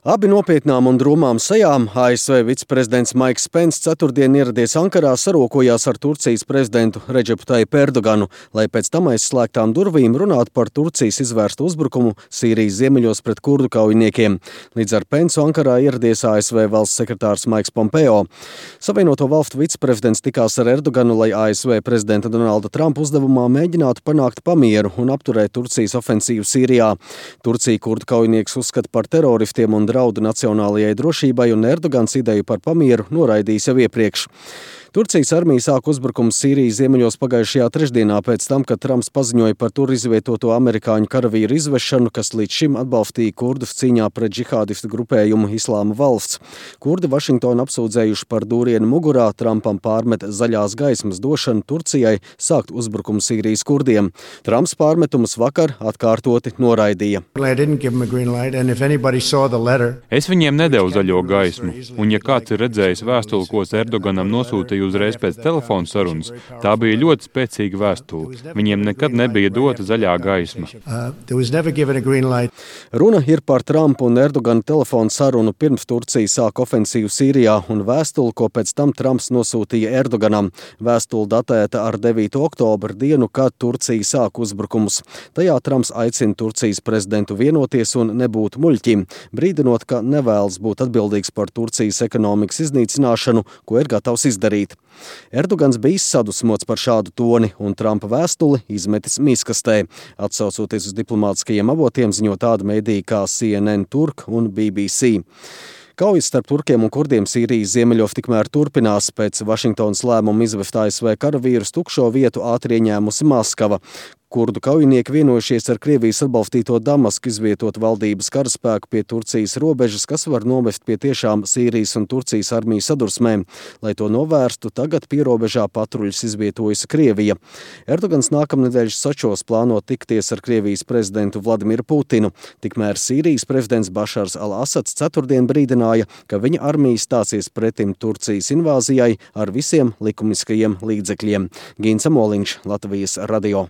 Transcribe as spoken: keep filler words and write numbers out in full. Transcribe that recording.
Abi nopietnām un drūmām sejām A S V viceprezidents Maiks Pence ceturtdien ieradies Ankarā, sarokojās ar Turcijas prezidentu Redžepu Tajipu Erdoganu, lai pēc tam aiz slēgtām durvīm runātu par Turcijas izvērstu uzbrukumu Sīrijas ziemeļos pret kurdu kaujiniekiem. Līdz ar Pencu Ankarā ieradies A S V valsts sekretārs Maiks Pompeo. Savienoto valstu viceprezidents tikās ar Erdoganu, lai A S V prezidenta Donalda Trumpa uzdevumā mēģinātu panākt pamieru un apturēt Turcijas ofensīvu Sīrijā. Turcija kurdu kaujinieks uzskata par teroristiem un draudu nacionālajai drošībai, un Erdogans ideju par pamieru noraidījis jau iepriekš. Turcijas armija sāka uzbrukumu Sīrijas ziemeļos pagājušajā trešdienā pēc tam, kad Trumps paziņoja par tur izvietoto amerikāņu karavīru izvešanu, kas līdz šim atbalstīja kurdus cīņā pret džihādistu grupējumu Islāma valsts. Kurdi Vašingtonu apsūdzējuši par dūrienu mugurā, Trumpam pārmet zaļās gaismas došanu Turcijai sākt uzbrukumu Sīrijas kurdiem. Trumps pārmetumus vakar atkārtoti noraidīja. Es viņiem nedevu zaļo gaismu, un ja kāds ir redzējis vēstuli, ko Erdoganam nosūtīja uzreiz pēc telefona sarunas, tā bija ļoti spēcīga vēstule. Viņiem nekad nebija dota zaļā gaisma. Runa ir par Trumpa un Erdogana telefonu sarunu pirms Turcija sāka ofensīvu Sīrijā un vēstuli, ko pēc tam Trumps nosūtīja Erdoganam. Vēstule datēta ar devīto oktobra dienu, kad Turcija sāka uzbrukumus. Tajā Trumps aicina Turcijas prezidentu vienoties un nebūt muļķim, brīdinot, ka nevēlas būt atbildīgs par Turcijas ekonomikas iznīcināšanu, ko ir gatavs izdarīt. Erdogans bija sadusmots par šādu toni un Trumpa vēstuli izmetis mīskastē, atsaucoties uz diplomātiskajiem avotiem, ziņo tāda medija kā C N N Turk un B B C. Kaujas starp turkiem un kurdiem Sīrijas ziemeļos tikmēr turpinās. Pēc Vašingtonas lēmuma izvest A S V karavīrus tukšo vietu ātri ieņēmusi Maskava. Kurdu kaujinieki vienojušies ar Krievijas atbalstīto Damasku izvietot valdības karaspēku pie Turcijas robežas, kas var novest pie tiešām Sīrijas un Turcijas armiju sadursmēm. Lai to novērstu, tagad pierobežā patruļus izvietojusi Krievija. Erdogans nākamnedēļ Sočos plāno tikties ar Krievijas prezidentu Vladimiru Putinu. Tikmēr Sīrijas prezidents Bašars al-Asads ceturtdien brīdināja, ka viņa armija stāsies pretim Turcijas invāzijai ar visiem likumiskajiem līdzekļiem. Gins Amoliņš, Latvijas radio.